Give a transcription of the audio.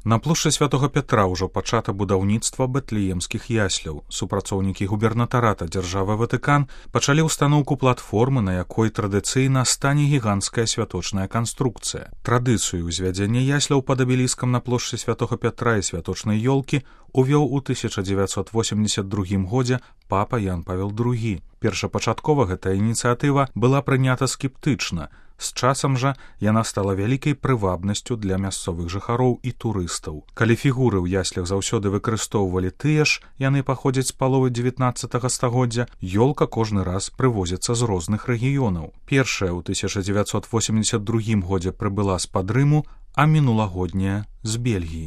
На плошчы святого Пятра ўжо пачата будаўніцтва бэтлеемскіх ясляў. Супрацоўнікі губернатарата дзяржавы Ватыкан пачалі ўстаноўку платформы, на якой традыцыйна стане гіганцкая святочная канструкцыя. Традыцыю ўзвядзення ясляў пад абеліскам на плошчы святого Пятра і святочнай ёлкі увёў у 1982 годзе папа Ян Павел II. Першапачаткова гэтая ініцыятыва была прынята скептычна. З часам жа яна стала вялікай прывабнасцю для мясцовых жыхароў і турыстаў. Калі фігуры ў яслях заўсёды выкарыстоўвалі тыя ж, яны паходзяць з паловы 19 стагоддзя, ёлка кожны раз прывозіцца з розных рэгіёнаў. Першая ў 1982 годзе прыбыла з-пад Рыму, а мінулагодняя з Бельгіі.